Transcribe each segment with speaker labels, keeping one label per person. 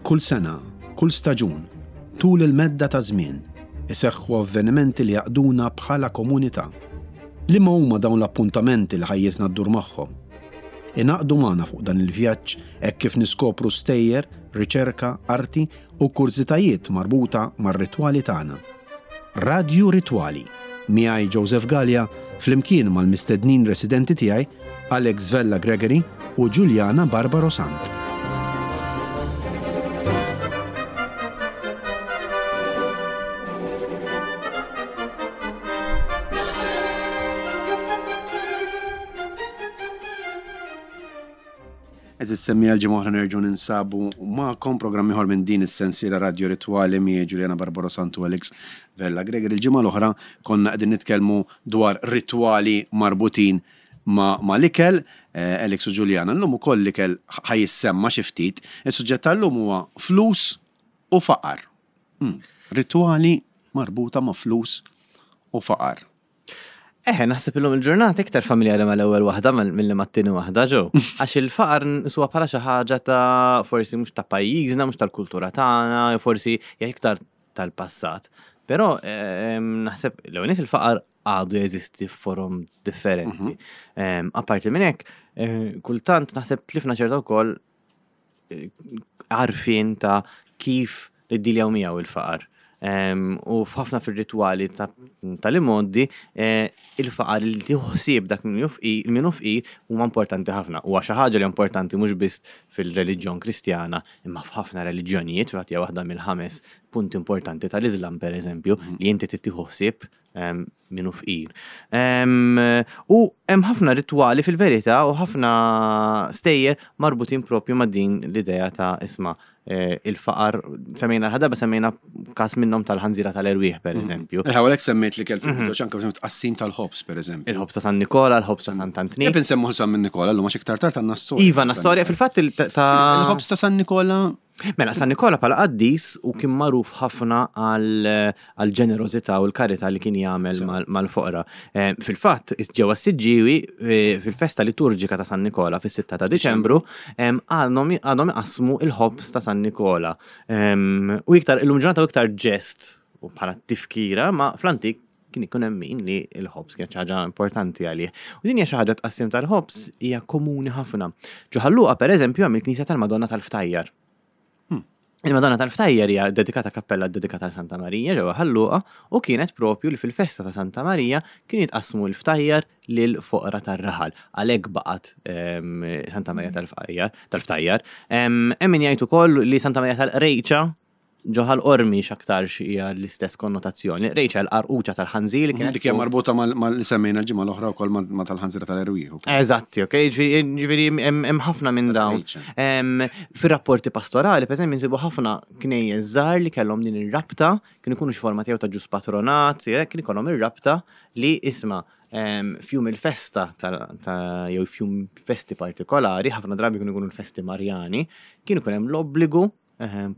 Speaker 1: Kull sena, kull staġun, tul il-medda ta' żmien, iseħħu avvenimenti li jgħaqqduna bħala komunità. Liema huma dawn l-appuntamenti li ħajjitna ddur magħhom? Ingħaqdu magħna fuq dan il-vjaġġ hekk kif niskopru stejjer, riċerka, arti u kurżitajiet marbuta mar-ritwali tagħna. Radju Ritwali, miegħi Joseph Galea flimkien mal-mistednin residenti tiegħi Alex Vella Gregory u Juliana Barbaro Sant. Eżiz semmi għal ġimgħa oħra nerġgħu ninsabu magħkom programm ieħor minn din is-sensiela Radio Ritwali miegħi Juliana Barbaro Santu Alex Vella Gregory. Il-ġimgħa l-oħra konna qegħdin nitkellmu dwar ritwali marbutin ma' l-ikel, Alex u Juliana. Llum ukoll l-ikel ħa jissemma xi ftit. Is-suġġett tal-lum huwa flus u faqar. Ritwali marbuta ma' flus u faqar.
Speaker 2: Eħe, naħseb illum il-ġurnata iktar familjari mal-ewwel waħda milli mat-tieni waħda, ġew. Għax il-faqar nqisuha bħala xi ħaġa ta' forsi mhux ta' pajjiżna, mhux tal-kultura tagħna, jew forsi hija iktar tal-passat. Però naħseb l-ewwel nies il-faqar għadu jeżisti f'forom differenti. Mhm. Apparti minn hekk, eh, kultant naħseb tlifna ċerta wkoll eh, għarfien ta' kif niddiljaw miegħu il-faqar. U f'ħafna fir-ritwali tal-imgħoddi, eh, il-faqar li tieħu ħsieb dak min hu fqir huma importanti ħafna. Huwa xi ħaġa li importanti mhux biss fil-reliġjon Kristjana, imma f'ħafna reliġjonijiet, fil-fatt hija waħda mill-ħames punti importanti tal-Iżlam pereżempju, mhm. li inti tieħu ħsieb min hu fqir. U hemm ħafna ritwali fil-verità u ħafna stejjer marbutin propju ma' din l-idea ta' isma' eh, il-faqar, semmejna l-ħadaba, semmejna kas minnhom tal-ħanżira tal-erwieħ, per mhm. eżempju.
Speaker 1: Eħe, għalhekk semmejt li kell fil-bidu mhm. anke tqassim tal-ħobs, per eżempju.
Speaker 2: Il-ħobs ta' San Nikola, il-ħobs ta' Sant Antni.
Speaker 1: Jeb insemmu San Nikola, l-lum għax iktar tard għandna
Speaker 2: storja. Iva, għandna storja fil-fatt
Speaker 1: ta' Il-ħobs ta' San Nikola
Speaker 2: Mela, San Nikola bħala qaddis u kien magħruf ħafna għal ġenerożità u l-karità li kien jagħmel mal-foqra. Eh, fil-fatt, ġewwa s-Siġġiewi eh, fil-festa liturġika ta' San Nikola fis-6 ta' Diċembru għadhom iqassmu il-ħobż ta' San Nikola. U iktar illum ġurnata u iktar ġest u bħala tifkira, ma fl-antik kien ikun hemm min li l-ħobż kienet xi ħaġa importanti għalih. U din hija xi ħaġa tqassim tal-ħobż hija komuni ħafna. Ġo Ħal Luqa pereżempju hemm il-Knisja tal-Madonna tal-Ftajjar. Hmm. Il-Madonna tal-Ftajjar hija dedikata kappella dedikata għal Santa Marija ġewwa Ħal Luqa u kienet propju li fil-festa ta' Santa Marija kien jitqassmu l-ftajjar lil foqra tar-raħal. Għalhekk baqgħet ehm, Santa Marija tal-Ftajjar. Tal-Ftajjar. Ehm, hemm min jgħid ukoll li Santa Marija tal-Qrejċa Ġo Ħal Qormi x'aktarx hija l-istess konnotazzjoni. Rejċa l-qarquċa tal-ħanżir li kienet.
Speaker 1: Dik hija marbuta mal li semmejna l-ġimgħa l-oħra wkoll ma' tal-ħanżira tal-erwieħ.
Speaker 2: Eżatti, ok, ġifieri hemm ħafna minn dawn. Fir-rapporti pastorali, pereżempju, nsibu ħafna knejjes żgħar li kellhom din ir-rabta, kienu jkunu xi forma tiegħu ta' ġus patronat, kien ikollhom ir-rabta li isma' f'jum il-festa ta' jew f'jum festi partikolari, ħafna drabi kienu jkunu l-festi Marjani, kien ikun hemm l-obbligu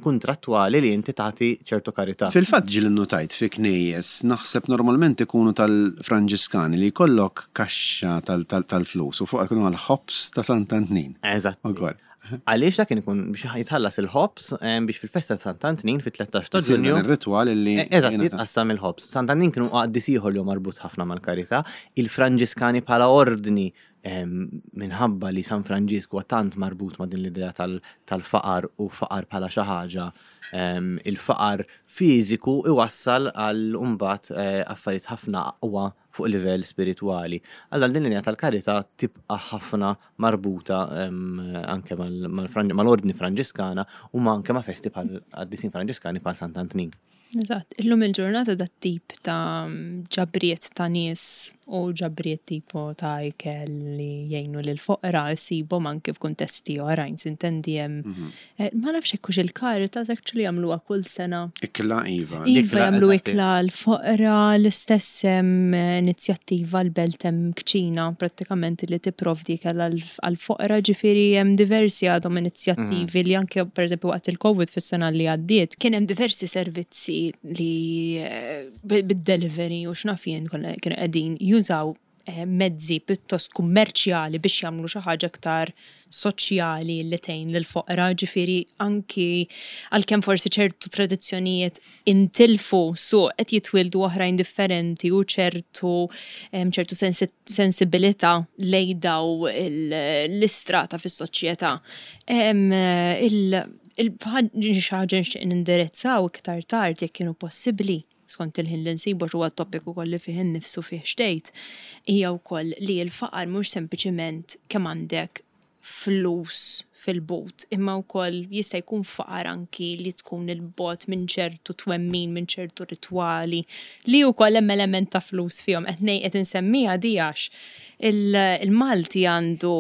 Speaker 2: kuntrattwali li inti tagħti ċertu karità.
Speaker 1: Fil-fatt ġieli nnutajt fi knejjes, naħseb normalment ikunu tal-Franġiskani li jkollok kaxxa tal-flus u fuqha jkunu għall-ħobż ta' Sant'Antnin.
Speaker 2: Eżatt. Ukoll. Għaliex dak kien ikun biex jitħallas il-ħobż biex fil-festa ta' Sant'Antnin fit-13 ta' Ġunju.
Speaker 1: Ir-ritwal li.
Speaker 2: Eżatt, jitqassam il-ħobż. Sant'Antnin kienu qaddis ieħor li hu marbut ħafna mal-karità. Il-Franġiskani bħala ordni minħabba li San Franġisk huwa tant marbut ma' din l-idea tal-faqar u faqar bħala xi ħaġa, il-faqar fiżiku iwassal għal mbagħad eh, affarijiet ħafna aqwa fuq livell spiritwali. Allura din l-idea tal-karità tibqa' ħafna marbuta anke mal-ordni Franġiskana u anke ma' festi bħal qaddisin Franġiskani bħal Sant'Antnin.
Speaker 3: Eżatt, illum il-ġurnata dat tip ta' ġabriet ta' nies u ġabriet tipo ta' ikel li jgħinu lil foqra ssibhom anke f'kuntesti oħrajn, sintendi hemm mhm. eh, ma nafx hekk hux il-Caritas actually jagħmluha kull sena.
Speaker 1: Ikla iva.
Speaker 3: Iva jagħmlu ikla l-foqra l-istess hemm inizjattiva l-belt hemm kċina prattikament li tipprovdi ikel għall-foqra ġifieri hemm diversi għadhom inizjattivi li anke pereżempju waqt il-Covid fis-sena li għaddiet kien hemm diversi servizzi li eh, bid-delivery u x'naf jien kienu qegħdin jużaw. mezzi pjuttost kummerċjali biex jagħmlu xi ħaġa iktar soċjali li tgħin lill-foqra, ġifieri anki għalkemm forsi ċertu tradizzjonijiet intilfu su qed jitwieldu oħrajn differenti u ċertu ċertu sensibilità lejn daw l-istrata fis-soċjetà. Il xi ħaġa nixtieq nindirizzaw iktar tard jekk kienu possibbli skont il-ħin li nsibu għax huwa topic ukoll li fih innifsu fih xtejt, hija wkoll li l-faqar mhux sempliċiment kemm għandek flus fil-but, imma wkoll jista' jkun faqar anki li tkun il-bogħod minn ċertu twemmin, minn ċertu ritwali, li wkoll hemm element ta' flus fihom. Qed ngħid qed insemmiha di għax il-Malti għandu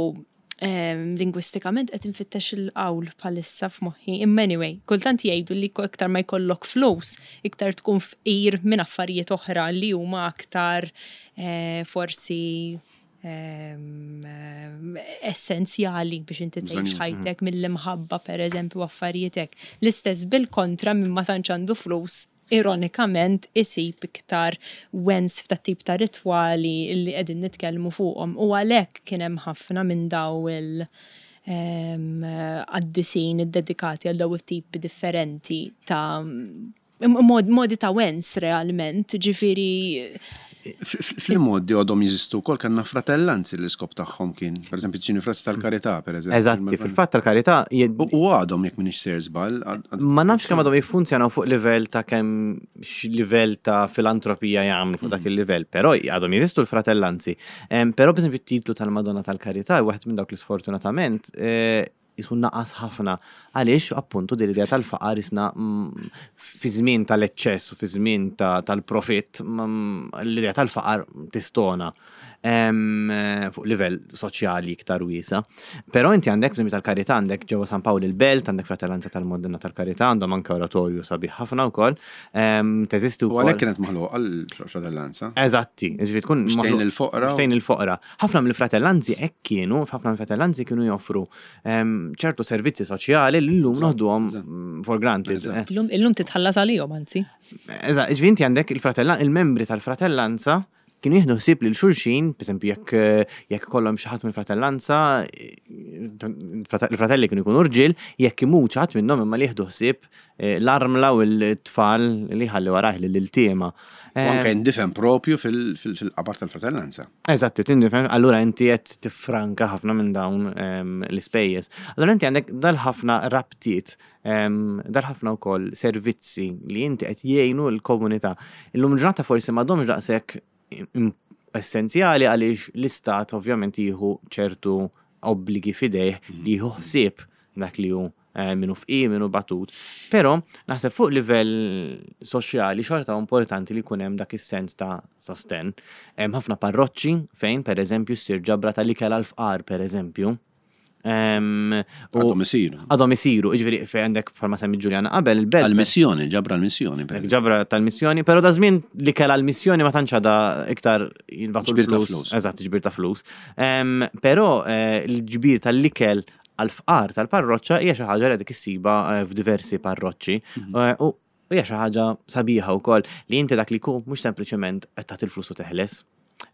Speaker 3: lingwistikament qed infittex il-qawl bħalissa f'moħħi. Imma anyway, kultant jgħidu li iktar ma jkollok flus, iktar tkun fqir minn affarijiet oħra li huma aktar forsi essenzjali biex inti tgħix ħajtek mill-imħabba pereżempju affarijiet hekk. L-istess bil-kontra minn ma tantx għandu flus ironikament isib iktar wens f'ta' tip ta' ritwali li qegħdin nitkellmu fuqhom u għalhekk kien hemm ħafna minn daw il- qaddisin iddedikati għal daw it-tipi differenti ta' modi ta' wens realment, ġifieri.
Speaker 1: Fil-modi għadhom jeżistu wkoll kellna fratellanzi li l-iskop tagħhom kien, pereżempju ġini frasi tal-karità, pereżempju.
Speaker 2: Eżatti, fil-fatt tal-karità.
Speaker 1: U għadhom jekk m'iniex sejjer żball.
Speaker 2: Ma nafx kemm għadhom jiffunzjonaw fuq livell ta' kemm livell ta' filantropija jagħmlu fuq dak mm. il-livell, però għadhom jeżistu l-fratellanzi. Però pereżempju t-titlu tal-Madonna tal-Karità waħed minn dawk li sfortunatament eh, jisu naqas ħafna. Għaliex appuntu din l-idea tal-faqar isna mm, fi żmien tal-eċċess u fi żmien tal-profitt mm, l-idea tal-faqar tistona fuq livell soċjali iktar wiesa. Però inti għandek bżonn tal-karità għandek ġewwa San Pawl il-Belt, għandek Fratellanza tal-Modena tal-Karità, għandhom anke oratorju sabiħ ħafna wkoll. Teżisti
Speaker 1: wkoll. U għalhekk kienet maħluqa l-fratellanza.
Speaker 2: Eżatti, ġifieri tkun
Speaker 1: maħluqa il-foqra.
Speaker 2: Xtejn il-foqra. Ħafna mill-fratellanzi hekk kienu, ħafna mill-fratellanzi kienu joffru ċertu servizzi soċjali li llum noħduhom for granted.
Speaker 3: Illum titħallas għalihom anzi.
Speaker 2: Eżatt, ġifieri inti għandek il-membri tal-fratellanza kienu jieħdu ħsieb lil xulxin, pereżempju jekk jekk ikollhom xi ħadd mill-fratellanza, il-fratelli kienu jkunu rġiel, jekk imut xi ħadd minnhom imma li jieħdu ħsieb eh, l-armla u l-tfal li ħalli warajh lil-iltiema.
Speaker 1: U anke jindifen propju fil-qabar tal-fratellanza.
Speaker 2: Eżatt, tindifen, allura inti qed tiffranka ħafna minn dawn ehm, l-ispejjeż. Allura inti għandek dal-ħafna rabtiet Dar ħafna wkoll servizzi li inti qed jgħinu l-komunità. Illum ġurnata forsi m'għadhomx daqshekk essenzjali għaliex l-istat ovvjament jieħu ċertu obbligi fidejh li jieħu ħsieb dak li hu eh, minu fqir, minu batut. Però naħseb fuq livell soċjali xorta importanti li jkun hemm dak is-sens ta' sosten. Hemm ħafna parroċċi fejn pereżempju ssir ġabra tal-ikel għall-fqar pereżempju.
Speaker 1: Għadhom isiru.
Speaker 2: Għadhom isiru, jiġifieri fejn għandek bħalma semmi Ġuljana qabel il-belt.
Speaker 1: Għal-missjoni, ġabra l-missjoni.
Speaker 2: Ġabra tal-missjoni, però da żmien li kella l-missjoni ma tantx għadha iktar
Speaker 1: jinbagħtu l-flus.
Speaker 2: Eżatt, ġbir ta' flus. Però eh, l-ġbir tal-ikel għal-fqar tal-parroċċa hija xi ħaġa li għadek issiba eh, f'diversi parroċċi. Mhm. Eh, u hija xi ħaġa sabiħa wkoll li inti dak li jkun mhux sempliċement qed tagħti l-flus u teħles.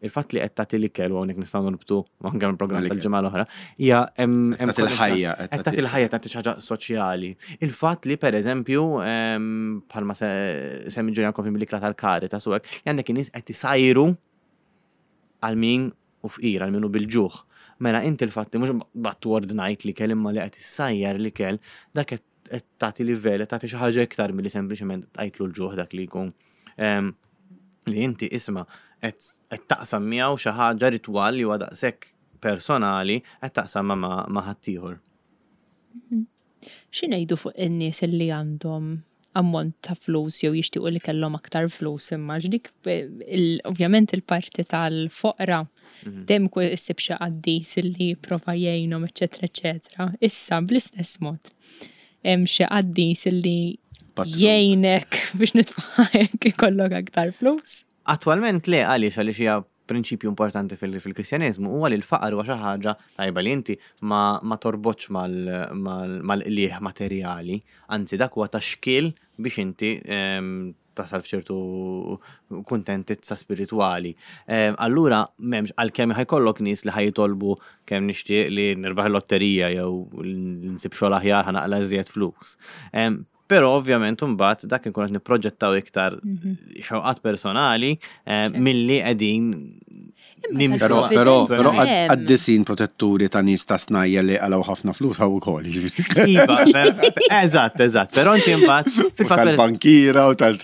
Speaker 2: Il-fatt li qed tagħti l-ikel u hawnhekk nistgħu norbtu anke mill-programm tal-ġimgħa l-oħra, hija
Speaker 1: hemm tagħti l-ħajja
Speaker 2: qed tagħti l-ħajja tagħti xi ħaġa soċjali. Il-fatt li pereżempju bħalma semmi Ġuljan kompli mill-ikla tal-Caritas u hekk, li għandek in-nies qed isajru għal min u fqir għal min hu bil-ġuħ. Mela inti l-fatt li mhux battu ordnajt l-ikel imma li qed issajjar l-ikel, dak qed qed tagħti livell, qed tagħti xi ħaġa iktar milli sempliċement tqajtlu l-ġuħ dak li jkun. Ehm, li inti isma' qed taqsam miegħu xi ħaġa ritwal li huwa daqshekk personali qed taqsam ma' ħaddieħor.
Speaker 3: Mhm. Xi ngħidu fuq in-nies li għandhom ammont ta' flus jew jixtiequ li kellhom aktar flus imma dik ovvjament il-parti tal-foqra mhm. dejjem issib xi qaddis li jipprova jgħinhom eċetera eċetera. Issa bl-istess mod hemm xi qaddis li jgħinek biex nitfaħek ikollok aktar flus.
Speaker 2: Attwalment le għaliex għaliex hija prinċipju importanti fil-Kristjaneżmu huwa li l-faqar huwa xi ħaġa tajba li inti ma, ma torbotx mal-qligħ materjali, anzi dak huwa ta' xkiel biex inti ehm, tasal f'ċertu kuntentizza spiritwali. Allura m'hemmx għalkemm ħa jkollok nies li ħa jitolbu kemm nixtieq li nirbaħ il-lotterija jew nsib xogħol aħjar ħa naqla' iżjed flus. Però ovvjament imbagħad dak inkun qed nipproġettaw iktar xewqat personali milli qegħdin nimxu.
Speaker 1: Però, però, però qaddisin protetturi ta' nies ta' snajja li qalgħu ħafna flus hawn ukoll, jiġifieri.
Speaker 2: Iva, eżatt, eżatt. Però inti imbagħad
Speaker 1: fil-fatt tal-bankiera u tal.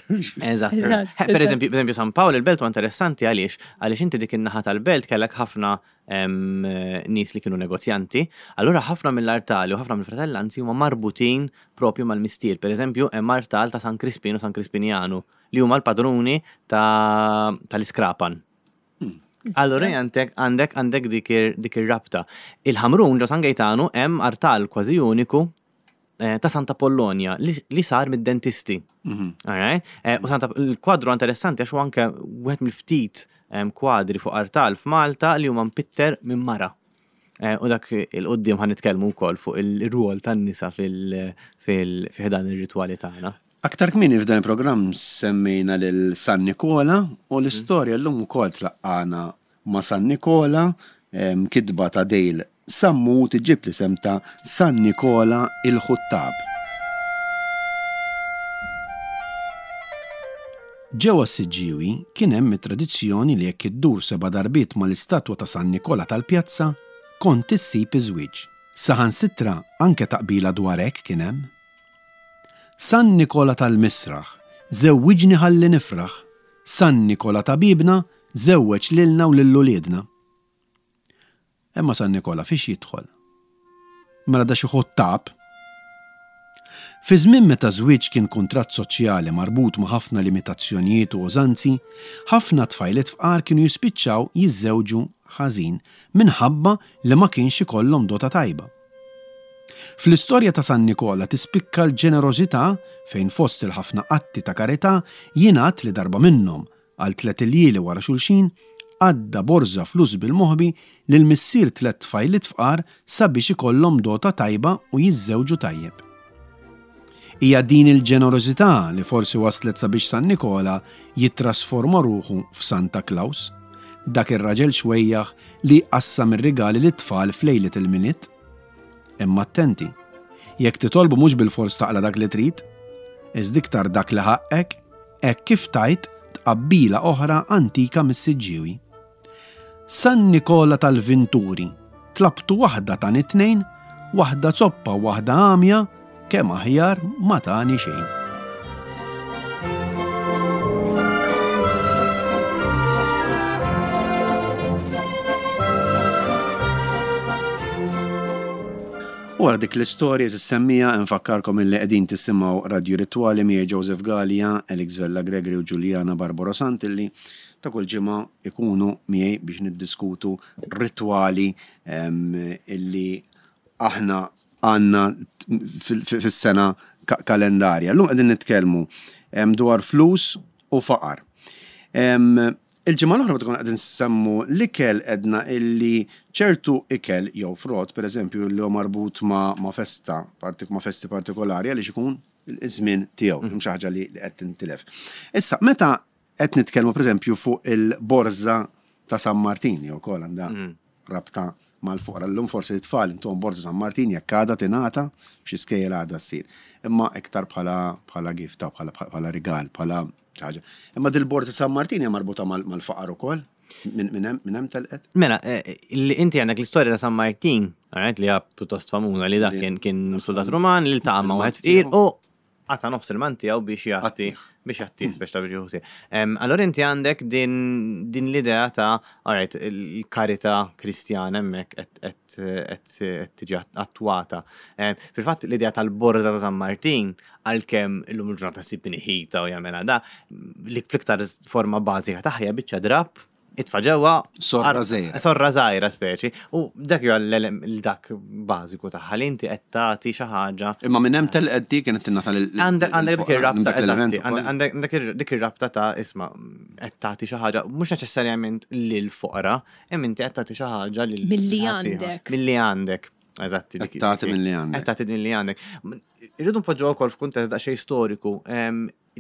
Speaker 2: Eżatt. Per eżempju, per eżempju San Pawl il-Belt huwa interessanti għaliex għaliex inti dik in-naħa tal-belt kellek ħafna nies li kienu negozjanti, allura ħafna mill-artali u ħafna mill-fratellanzi huma marbutin propju mal-mistier. Per eżempju, hemm artal ta' San Crispin u San Crispinjanu li huma l-padruni tal-iskrapan. Allura għandek għandek għandek dik ir-rabta. Il-Ħamrun ġo San Gejtanu hemm artal kważi uniku eh, ta' Santa Pollonia li sar mid-dentisti. Mhm. Eh, u Santa il-kwadru interessanti għax anke wieħed mill-ftit kwadri fuq artal f'Malta li huma mpitter minn mara. Eh, u dak il-qoddim ħan nitkellmu wkoll fuq il-rwol tan-nisa fil-ħdan ir-ritwali tagħna.
Speaker 1: Aktar kmieni f'dan il-programm semmejna lil San Nikola u l-istorja llum ukoll tlaqqagħna ma' San Nikola, kitba ta' Dale Sammut iġġib l-isem ta' San Nikola il-Ħuttab. Ġewwa s-Siġġiewi kien hemm it-tradizzjoni li jekk iddur seba' darbiet mal-istatwa ta' San Nikola tal-pjazza, kont issib iż-żwieġ. Saħansitra anke taqbila dwar hekk kien hemm. San Nikola tal-Misraħ, żewwiġni ħalli nifraħ, San Nikola ta' biebna, żewweġ lilna u lil uliedna. Imma San Nikola fiex jidħol? Mela da xi ħuttab? Fi żmien meta żwieġ kien kuntratt soċjali marbut ma' ħafna limitazzjonijiet u użanzi, ħafna tfajliet fqar kienu jispiċċaw jiżżewġu ħażin minħabba li ma kienx ikollhom dota tajba. Fl-istorja ta' San Nikola tispikka l-ġenerożità fejn fost il-ħafna atti ta' karità jingħad li darba minnhom, għal tliet iljieli wara xulxin, għadda borża flus bil-moħbi lil missier tlett tfajliet fqar sabiex ikollhom dota tajba u jiżżewġu tajjeb. Hija din il-ġenerożità li forsi wasslet sabiex San Nikola jittrasforma ruħu f'Santa Klaws, dak ir-raġel xwejjaħ li jqassam ir-rigali lit-tfal f'lejliet il-Milied. Imma attenti, jekk titolbu mhux bilfors taqla' dak li trid, iżda iktar dak li ħaqqek, hekk kif tgħid tqabbila oħra antika mis-Siġġiewi. San Nikola tal-Vinturi, tlabtu waħda tani tnejn, waħda zoppa u waħda għamja, kemm aħjar ma tani xejn. U wara dik l-istorja semmija nfakkarkom illi qegħdin tisimgħu Radju Ritwali miegħi Joseph Galea, Alex Vella Gregory u Juliana Barbaro Sant illi ta' kull ġimgħa ikunu miegħi biex niddiskutu ritwali illi aħna għandna fis-sena kalendarja. Llum qegħdin nitkellmu dwar flus u faqar. Il-ġimgħa l-oħra meta konna qegħdin nsemmu l-ikel għedna illi ċertu ikel jew frott, pereżempju, li huwa marbut ma' festa, ma' festi partikolari għaliex ikun iż-żmien tiegħu, mhux xi ħaġa li qed tintilef. Issa, meta Qed nitkellmu pereżempju fuq il-borża ta' San Martin jew ukoll għandha rabta mal-foqra. Llum forsi t-tfal intuhom borża San Martin jekk għadha tingħata f'xi skejjel għadha ssir. Imma iktar bħala bħala gift bħala bħala rigal, bħala xi ħaġa. Imma dil-borża San Martin hija marbuta mal-faqar ukoll? Minn hemm telqet?
Speaker 2: Mela, li inti għandek l-istorja ta' San Martin, alright, li hija pjuttost famuża li dak kien kien soldat Ruman li ltaqa' ma' wieħed fqir u qata' nofs il-man tiegħu biex jagħti biex jagħti biex ta' biex jieħu Allora inti għandek din, din l-idea ta' alright, il-karità kristjana hemmhekk qed tiġi attwata. Fil-fatt l-idea tal-borża ta' San Martin għalkemm illum il-ġurnata ssib min iħita u jagħmilha da, li fl-iktar forma bażika tagħha hija biċċa drapp itfa' ġewwa.
Speaker 1: Sorra żgħira.
Speaker 2: Sorra żgħira speċi. U dak huwa dak bażiku tagħha li inti qed tagħti xi ħaġa.
Speaker 1: Imma minn hemm telqet dik kienet tingħata lil.
Speaker 2: Għandek dik ir-rabta, eżatti, għandek dik ir-rabta ta' isma' qed tagħti xi ħaġa mhux neċessarjament lil foqra, imma inti qed tagħti xi ħaġa lil.
Speaker 3: Milli għandek.
Speaker 2: Milli għandek. Eżatti.
Speaker 1: Qed tagħti milli għandek.
Speaker 2: Qed tagħti milli għandek. Irridu npoġġu wkoll f'kuntest daqsxejn storiku.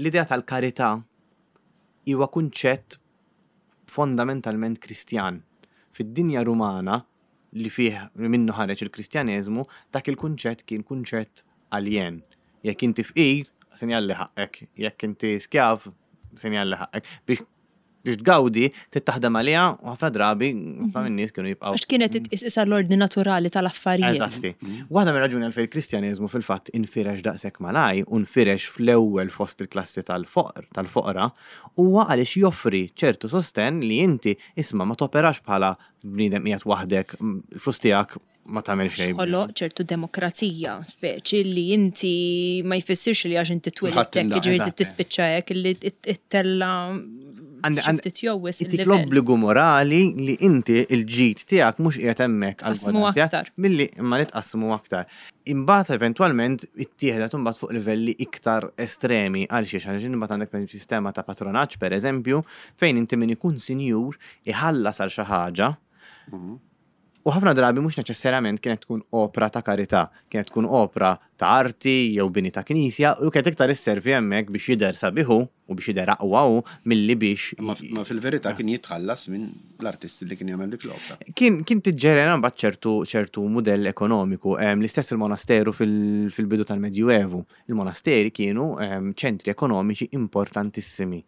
Speaker 2: L-idea tal-karità huwa kunċett fondamentalment Kristjan. Fid-dinja Rumana li fih li minnu ħareġ il-Kristjaneżmu, dak il-kunċett kien kunċett aljen. Jekk inti fqir, sinjal li ħaqqek, jekk inti skjav, sinjal li ħaqqek. Biex biex tgawdi, trid taħdem għaliha u ħafna drabi, ħafna minn nies kienu jibqgħu.
Speaker 3: Għax kienet titqis isa l-ordni naturali tal-affarijiet.
Speaker 2: Eżatti. Waħda mir-raġuni għalfejn il-Kristjaneżmu fil-fatt infirex daqshekk malaj u nfirex fl-ewwel fost il-klassi tal-foqr, tal-foqra, huwa għaliex joffri ċertu sostenn li inti isma' ma toperax bħala bniedem qiegħed waħdek, il-flus tiegħek ma tagħmel xejn.
Speaker 3: Ħoloq ċertu demokrazija, speċi li inti ma jfissirx li għax inti twilidt hekk, jiġifieri tispiċċa hekk li ttella' ftit jew wisq.
Speaker 2: Itik l-obbligu morali li inti l-ġid tiegħek mhux qiegħed hemmhekk għal
Speaker 3: Tqassmu aktar.
Speaker 2: Milli imma li tqassmu aktar. Imbagħad eventwalment ittieħdet imbagħad fuq livelli iktar estremi għal xiex għaliex imbagħad għandek pereżempju sistema ta' patronaġġ pereżempju fejn inti min ikun sinjur iħallas għal xi ħaġa U ħafna drabi mhux neċessarjament kienet tkun opra ta' karità, kienet tkun opra ta' arti jew bini ta' knisja u kienet iktar isservi hemmhekk biex jidher sabiħ hu u biex jidher aqwa hu milli biex.
Speaker 1: Imma fil-verità kien jitħallas minn l-artist li kien jagħmel dik l-opra.
Speaker 2: Kien kien tiġġenera mbagħad ċertu ċertu mudell ekonomiku. L-istess il-monasteru fil-bidu tal-Medjuevu. Il-monasteri kienu ċentri ekonomiċi importantissimi.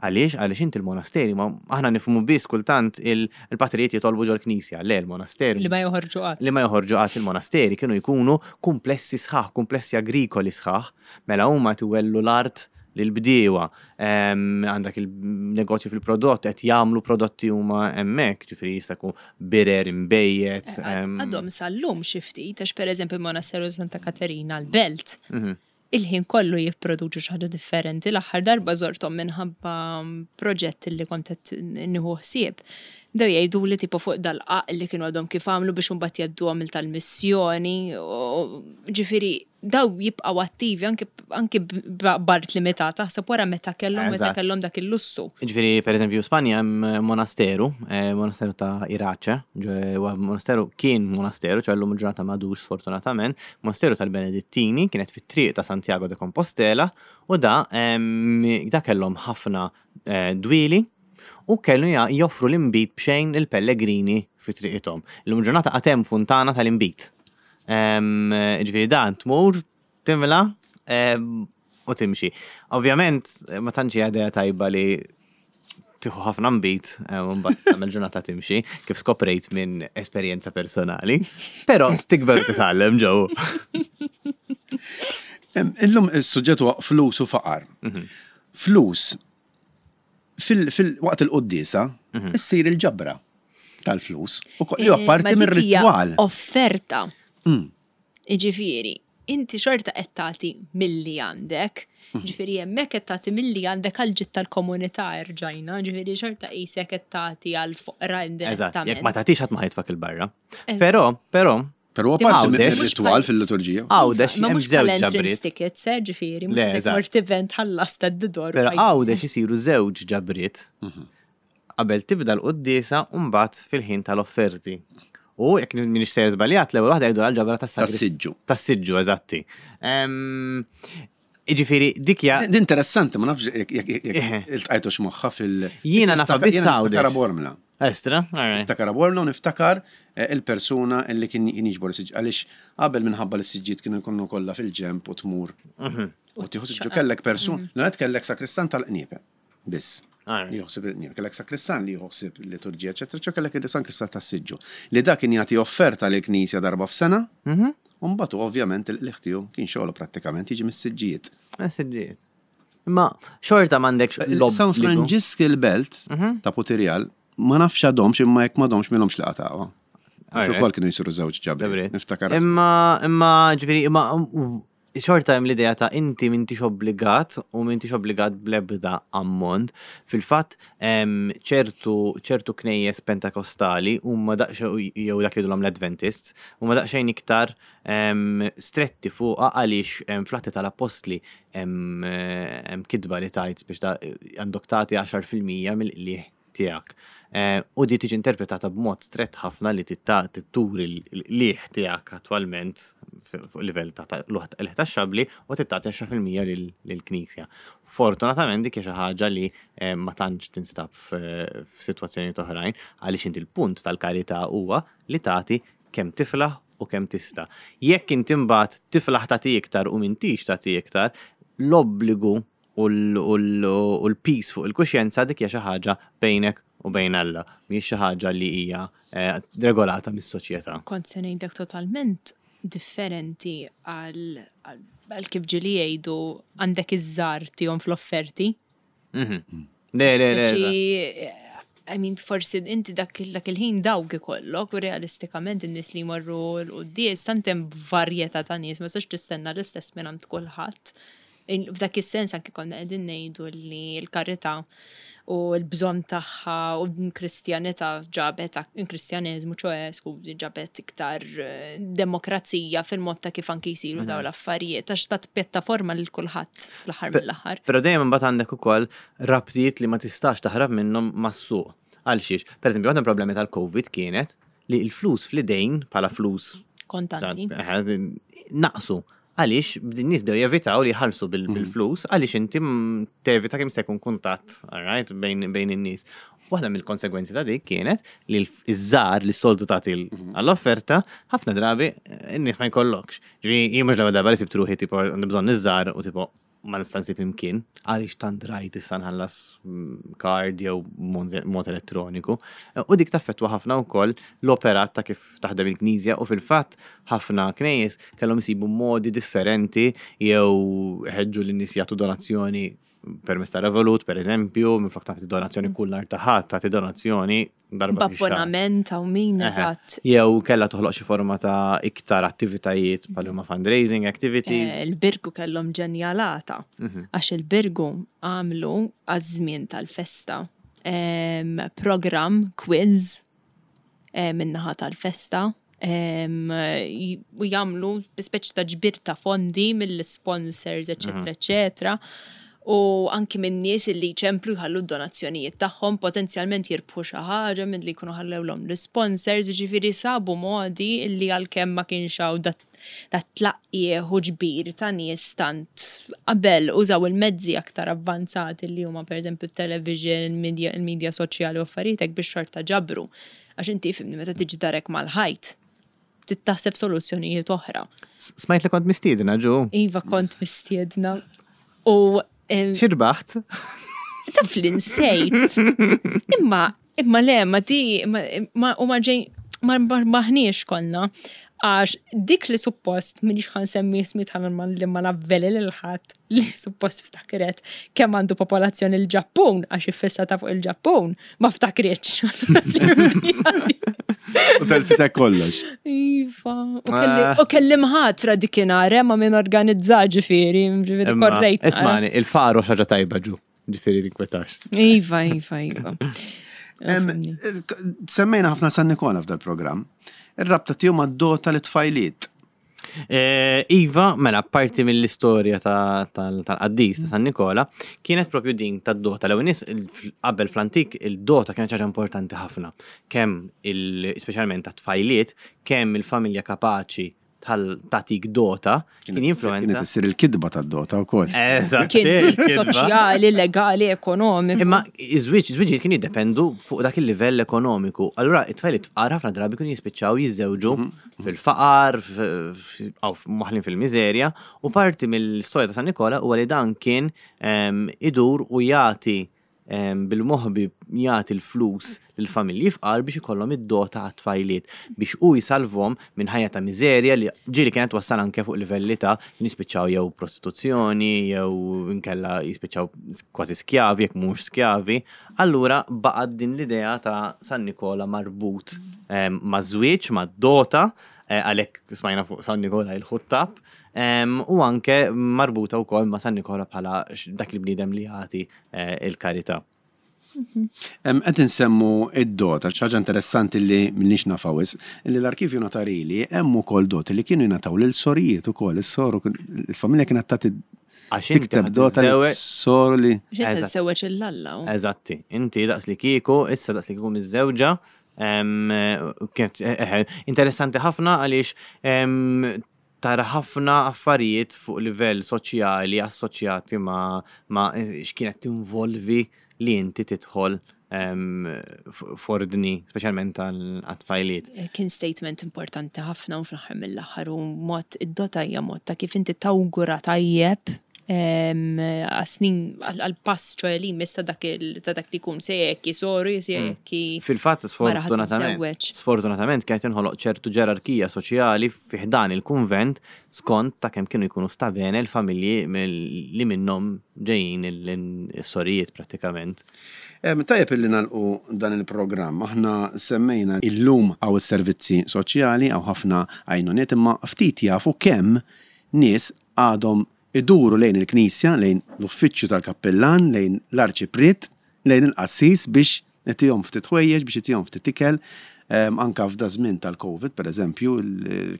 Speaker 2: Għaliex? Għaliex inti l-monasteri ma aħna nifhmu biss kultant il-patrijiet jitolbu ġol-knisja. Le, l-monasteru.
Speaker 3: Li ma joħorġu qatt.
Speaker 2: Li ma joħorġu qatt il-monasteri kienu jkunu kumplessi sħaħ, kumplessi agrikoli sħaħ. Mela huma qed iwellu l-art lill-bdiewa. Għandek il-negozju fil-prodott qed jagħmlu prodotti huma hemmhekk, ġifieri jista' jkun birer, inbejjed.
Speaker 3: Għadhom sal-lum xi ftit, għax pereżempju l-Monasteru Santa Katerina l-Belt. Il-ħin kollu jipproduċu xi ħaġa differenti. L-aħħar darba żorthom minħabba proġett li kont qed nieħu ħsieb. Bdew jgħiduli tipo fuq dal-qaq li kienu għadhom kif għamlu biex imbagħad jgħadduhom il tal-missjoni. Ġifieri daw jibqgħu attivi anki anki b'art limitata, aħseb wara meta kellhom meta kellhom dak il-lussu.
Speaker 2: Ġifieri pereżempju Spanja hemm monasteru, monasteru ta' Irace, huwa monasteru kien monasteru, ċe llum il-ġurnata m'għadux sfortunatament, Monasteru tal-Benedittini kienet fit-triq ta' Santiago de Compostela u da da kellhom ħafna dwieli u kellu joffru l-inbid b'xejn lill-pellegrini fi triqithom. Illum il-ġurnata għad hemm funtana tal-inbid. Ġifieri dan tmur, timla u timxi. Ovvjament ma tantx hija idea tajba li tieħu ħafna nbid eh, u mbagħad tagħmel ġurnata timxi, kif skoprejt minn esperjenza personali. Però tikber u titgħallem ġew.
Speaker 1: Illum is-suġġett huwa flus u faqar. Flus fil-waqt il-quddiesa issir il-ġabra tal-flus u li huwa
Speaker 3: Eh,
Speaker 1: parti
Speaker 3: ma dik hija
Speaker 1: mir-ritwal.
Speaker 3: Offerta. Jiġifieri, inti xorta qed tagħti milli għandek, jiġifieri hemmhekk qed tagħti milli għandek għall-ġid tal-komunità erġajna, jiġifieri xorta qisek qed tagħti għall-foqra
Speaker 2: Eżatt, jekk ma
Speaker 3: indirettament.
Speaker 2: tagħtix ħadd ma ħajtfak il-barra. Però, però,
Speaker 1: Però huwa parti
Speaker 2: Għawdex.
Speaker 1: mir-ritwal fil-liturġija.
Speaker 2: Għawdex
Speaker 3: Ma
Speaker 2: hemm
Speaker 3: mhux
Speaker 2: żewġ
Speaker 3: bħal entrance
Speaker 2: ġabriet.
Speaker 3: tickets, eh, ġifieri,
Speaker 2: Le,
Speaker 3: mhux se
Speaker 2: eżatt.
Speaker 3: mort event ħallast d-dor.
Speaker 2: Però Għawdex isiru żewġ ġabriet qabel tibda l-quddiesa u mbagħad fil-ħin tal-offerti. U jekk minix sejjer żbaljat, l-ewwel waħda jgħidu għal-ġabra
Speaker 1: Tas-siġġu.
Speaker 2: Tas-siġġu, eżatti. Jiġifieri dik hija
Speaker 1: Din interessanti, ma nafx jekk iltqajtux magħha fil-
Speaker 2: Jiena nafha biss
Speaker 1: Jiena
Speaker 2: Għawdex.
Speaker 1: niftakar Bormla.
Speaker 2: Estra, all right.
Speaker 1: Niftakar Bormla u niftakar eh, il-persuna li kien jiġbor is-siġġ. Għaliex qabel minħabba li s-siġġiet kienu jkunu kollha fil-ġemp u tmur. U tieħu siġġu kellek persuna, l kellek sakristan tal-qniepe. Biss.
Speaker 2: Alright.
Speaker 1: Li joħsib il-qniepe. Kellek sakristan li joħsib il-liturġija, eċetera, eċetera, kellek il-sakristan tas-siġġu. Li dak kien jagħti offerta lill-knisja darba f'sena. U mbagħad hu ovvjament il-qligħ tiegħu kien xogħlu prattikament jiġi mis-siġġijiet.
Speaker 2: Siġġijiet. Imma xorta m'għandekx
Speaker 1: San
Speaker 2: l-obbligu.
Speaker 1: Franġisk il-belt ta' Putirjal ma nafx għadhomx imma jekk m'għadhomx milhomx li qatgħuha. Għax
Speaker 2: Alright.
Speaker 1: ukoll kienu jsiru żewġ ġabriet.
Speaker 2: Ġabriet.
Speaker 1: Niftakar.
Speaker 2: Imma, imma, ġifieri, imma xorta hemm l-idea ta' inti m'intix obbligat u m'intix obbligat bl-ebda ammont. Fil-fatt, ċertu ċertu knejjes pentakostali huma daqsxejn jew dak li jgħidulhom l-Adventists, huma daqsxejn iktar stretti fuqha għaliex fl-Atti tal-Appostli hemm kitba li tgħid biex ta' għandok tagħti 10% mill-qligħ. tiegħek. U di tiġi interpretata b'mod strett ħafna li turi l-qligħ tiegħek attwalment fuq livell ta' qligħ taxxabbli u tagħti 10% lill-Knisja. Fortunatament dik hija xi ħaġa li ma tantx tinstab f'sitwazzjonijiet oħrajn għaliex inti l-punt tal-karità huwa li tagħti kemm tiflaħ u kemm tista'. Jekk inti mbagħad tiflaħ tagħti iktar u m'intix tagħti iktar, l-obbligu u l-piż fuq il-kuxjenza dik hija xi ħaġa bejnek u bejn Alla, mhijiex xi ħaġa li hija eh, regolata mis-soċjetà.
Speaker 3: Kont se ngħidlek totalment differenti għal kif ġieli jgħidu għandek iż-żgħar tihom fl-offerti.
Speaker 2: Mhm. Le, le, le.
Speaker 3: I mean, forsi inti dak il-ħin dawk ikollok u realistikament in-nies li jmorru l-quddies tant hemm varjetà ta' nies ma tistax tistenna l-istess minn għand kulħadd. F'dak is-sens anki konna qegħdin ngħidu li l-karità u l-bżonn tagħha u l-Kristjanità ġabet il-Kristjaneżmu ċoe skużi ġabet iktar eh, demokrazija fil-mod ta' kif anki jsiru dawn mhm. l-affarijiet għax tat pjattaforma lil kulħadd fl-aħħar mill-aħħar.
Speaker 2: Però dejjem imbagħad għandek ukoll rabtiet li ma tistax taħrab minnhom mas-suq. Għal xiex? Per eżempju, waħda problemi tal-COVID kienet li l-flus fl-idejn bħala flus
Speaker 3: kontanti
Speaker 2: eh, naqsu. Għaliex n-nies bdew jevitaw li jħallsu bil-flus għaliex inti tevita kemm se jkun kuntatt, alright, bejn in-nies. Waħda mill-konsegwenzi ta' dik kienet li l-żgħar li s-soltu tagħti mhm. għall-offerta, ħafna drabi eh, n-nies ma jkollokx. Ġifieri jien mhux l-ewwel darba li sibt ruħi tipo għandi bżonn iż-żgħar u tipo ma nista' nsib imkien għaliex tant rajt issa nħallas mm, card jew mod elettroniku. U dik taffettwa ħafna wkoll l-operat ta' kif taħdem il-knisja u fil-fatt ħafna knejjes kellhom isibu modi differenti jew ħeġġu lin-nies jagħtu donazzjoni permezz ta' Revolut, per eżempju, minflok tagħti donazzjoni kull nhar ta' ħadd tagħti donazzjoni
Speaker 3: darba B'abbonament hawn min eżatt.
Speaker 2: Jew kellha toħloq xi forma ta' iktar attivitajiet bħal huma fundraising activities.
Speaker 3: Eh, il-Birgu kellhom ġenjalata mhm. għax il-Birgu għamlu għaż-żmien tal-festa program quiz eh, min-naħa tal-festa u jagħmlu bi speċi ta' ġbir ta' fondi mill-sponsors, eċetera, mhm. eċetera. U anki minn nies li jċemplu jħallu d-donazzjonijiet tagħhom, potenzjalment jirbħu xi ħaġa minn li jkunu ħallewlhom l-sponsors, ġifieri sabu modi li għalkemm ma kienx hawn dat tlaqqieħ u ġbir ta' nies tant qabel użaw il-mezzi aktar avvanzati li huma pereżempju t-television, il-media soċjali u affarijiet hekk biex xorta ġabru. Għax inti fimni meta tiġi darek mal-ħajt, trid taħseb soluzzjonijiet oħra.
Speaker 2: Smajt li kont mistiedna ġu.
Speaker 3: Iva kont mistiedna. U
Speaker 2: Xirbaħt?
Speaker 3: Taf li nsejt. Imma, imma le, ma di, ma u ma ġej, ma maħniex konna. Għax dik li suppost, minix ħan semmi ismi tħan li ma navveli lil ħadd li suppost ftakret kemm għandu popolazzjoni l-Ġappun, għax iffissata fuq il-Ġappun, ma ftakritx.
Speaker 1: U telfitek kollox.
Speaker 3: Iva. U kelli mħatra dikinhar, eh, ma minn organizza ġifieri, ġifieri korrejt.
Speaker 2: Ismani, il-faru xaġa tajba ġu, ġifieri tinkwetax.
Speaker 3: Iva, iva, iva.
Speaker 1: Semmejna ħafna San Nikola f'dal-programm. Ir-rabta tiegħu mad-dota li tfajliet.
Speaker 2: Eh, iva, mela, parti mill-istorja tal-qaddis ta' San Nikola kienet propju din tad-dota. L-ewwel nies qabel fl-antik il-dota kienet ħaġa importanti ħafna. Kemm speċjalment ta' tfajliet, kemm il-familja kapaċi tal-tatik dota kien jinfluenza.
Speaker 1: Kienet issir il-kidba tad-dota wkoll.
Speaker 2: Eżatt.
Speaker 3: Kien soċjali, legali, ekonomiku.
Speaker 2: Imma iż-żwieġ, iż-żwieġijiet kien jiddependu fuq dak il-livell ekonomiku. Allura it-tfajliet fqar ħafna drabi kienu jispiċċaw jiżżewġu mhm. fil-faqar, maħlin fil-miżerja, u parti mill-istorja ta' San Nikola huwa li dan kien ehm, idur u jagħti ehm, bil-moħbi jagħti l-flus lill-familji fqar biex ikollhom id-dota għat-tfajliet biex hu jsalvhom minn ħajja ta' miżerja li ġieli kienet wassal anke fuq livelli ta' jispiċċaw jew prostituzzjoni jew inkella jispiċċaw kważi skjavi jekk mhux skjavi. Allura baqgħet din l-idea ta' San Nikola marbut ehm, maż-żwieġ, mad-dota, eh, għalhekk smajna fuq San Nikola il-ħuttab, ehm, u anke marbuta wkoll ma' San Nikola bħala dak il-bniedem li jagħti eh, il-karità.
Speaker 1: Qed insemmu id-dota, ħaġa interessanti li minnix nafha wisq, li l-arkivju notarili hemm ukoll doti li kienu jingħataw lil sorijiet ukoll, is-soru il-familja kienet tagħti.
Speaker 2: Għax inti
Speaker 1: Tikteb dota li
Speaker 2: ħa tiżżewweġ-
Speaker 1: soru li.
Speaker 3: Għax inti
Speaker 2: Eżatt.
Speaker 3: tiżżewweġ 'l Alla.
Speaker 2: Eżatti. Inti daqs li kieku, issa daqs li kieku miżżewġa, em, kienet eh, interessanti ħafna għaliex em, tara ħafna affarijiet fuq livell soċjali assoċjati ma, ma x'kienet tinvolvi li inti tidħol em, f'ordni, speċjalment għal-tfajliet.
Speaker 3: Kien statement importanti ħafna u fl-aħħar mill-aħħar u mod id-dota hija mod ta' kif inti tawgura tajjeb għas-snin għal-pass ċoħe li jmiss ta' dak il- ta' dak li jkun se jekk soru se jekk
Speaker 2: Fil-fatt,
Speaker 3: mara ħa
Speaker 2: sfortunatament,
Speaker 3: tiżżewweġ.
Speaker 2: sfortunatament kienet inħoloq ċertu ġerarkija soċjali fi ħdan il-kunvent skont ta' kemm kienu jkunu stabene l-familji mill- li minnhom ġejjin il-sorijiet prattikament.
Speaker 1: Tajjeb illi nagħlqu dan il-programm. Aħna semmejna illum hawn is-servizzi soċjali, hawn ħafna għajnuniet, imma ftit jafu kemm nies għadhom iduru lejn il-knisja, lejn l-uffiċċju tal-kappillan, lejn l-arċipriet, lejn il-qassis biex itihom ftit ħwejjeġ, biex itihom ftit ikel. Anka f'da żmien tal-Covid, per eżempju,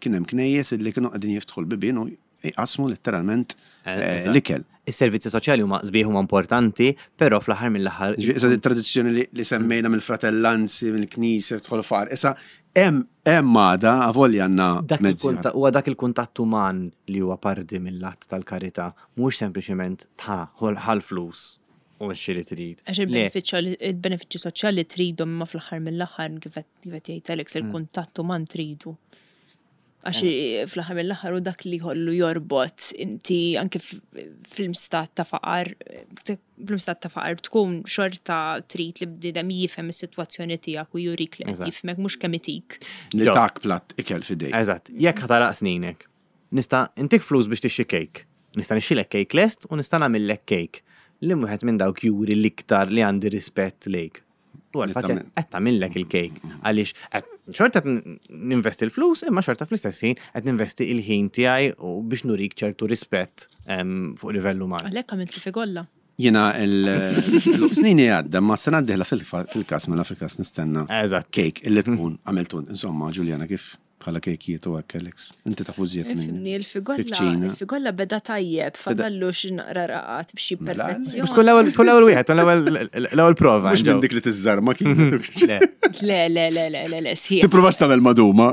Speaker 1: kien hemm knejjes illi kienu qegħdin jiftħu l-bibien u jqasmu letteralment l-ikel.
Speaker 2: Is-servizzi soċjali huma sbieħ huma importanti, però fl-aħħar mill-aħħar
Speaker 1: Ġifieri, issa tradizzjoni li semmejna mill-fratellanzi, mill-knisja, tidħol faqar. Issa hemm hemm għada avolja għandna
Speaker 2: Dak
Speaker 1: mezzi
Speaker 2: il-kunta- huwa dak il-kuntatt uman li huwa parti mill-att tal-karità, mhux sempliċement ta' ħal flus u xi li trid.
Speaker 3: Għax il-benefiċċji soċjali tridhom imma fl-aħħar mill-aħħar kif qed jgħid Alex il-kuntatt uman tridu. Għax fl-aħħar mill-aħħar u dak li jħollu jorbot inti anke fil-stat ta' faqar, fil-stat ta' faqar tkun xorta trid li bniedem jifhem is-sitwazzjoni tiegħek u jurik li qed jifhmek mhux kemm itik.
Speaker 1: Li tak platt ikel f'idejk.
Speaker 2: Eżatt, jekk ħa tagħlaq sninek, nista' intik flus biex tixtri cake. Nista' nixtrilek cake lest u nista' nagħmillek cake. Li wieħed minn dawk juri l-iktar li għandi rispett lejk. U għal-fatt qed tagħmillek il-cake għaliex qed xorta ninvesti l-flus imma xorta fl-istess ħin qed ninvesti il-ħin tiegħi u biex nurik ċertu rispett fuq livell uman.
Speaker 3: Għalhekk għamilt li figolla.
Speaker 1: Jiena l-snini għadda, ma sena d-dieħla fil-kas, mela fil-kas nistenna cake illi tkun għamiltu. Insomma, Juliana, kif bħala kejkijiet u hekk, Alex? Inti tafu żjed minni.
Speaker 3: Ifhimni, il-figolla, il-figolla beda tajjeb, fadallu xi naqra raqat b'xi
Speaker 1: Mela,
Speaker 3: perfezzjoni.
Speaker 2: Mhux tkun l-ewwel, tkun l-ewwel wieħed, tkun l-ewwel, l-ewwel prova,
Speaker 1: Mhux minn
Speaker 2: Joe.
Speaker 1: dik li tiżżarma kienet.
Speaker 2: Le.
Speaker 3: Le, le, le, le, le, le, sħiħ.
Speaker 1: Tippruvax tagħmel maduma.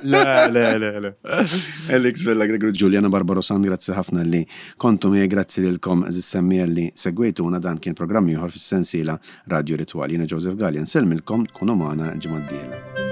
Speaker 2: Le, le, le, le.
Speaker 1: Alex Vella Gregory, Juliana Barbarosan, grazzi ħafna li kontu miegħi, grazzi lilkom għażiż semmiegħa li segwejtuna. Dan kien programm ieħor fis-sensiela Radio Ritual. Jiena Joseph Gallia, nsellmilkom, tkunu magħna l-ġimgħa d-dieħla.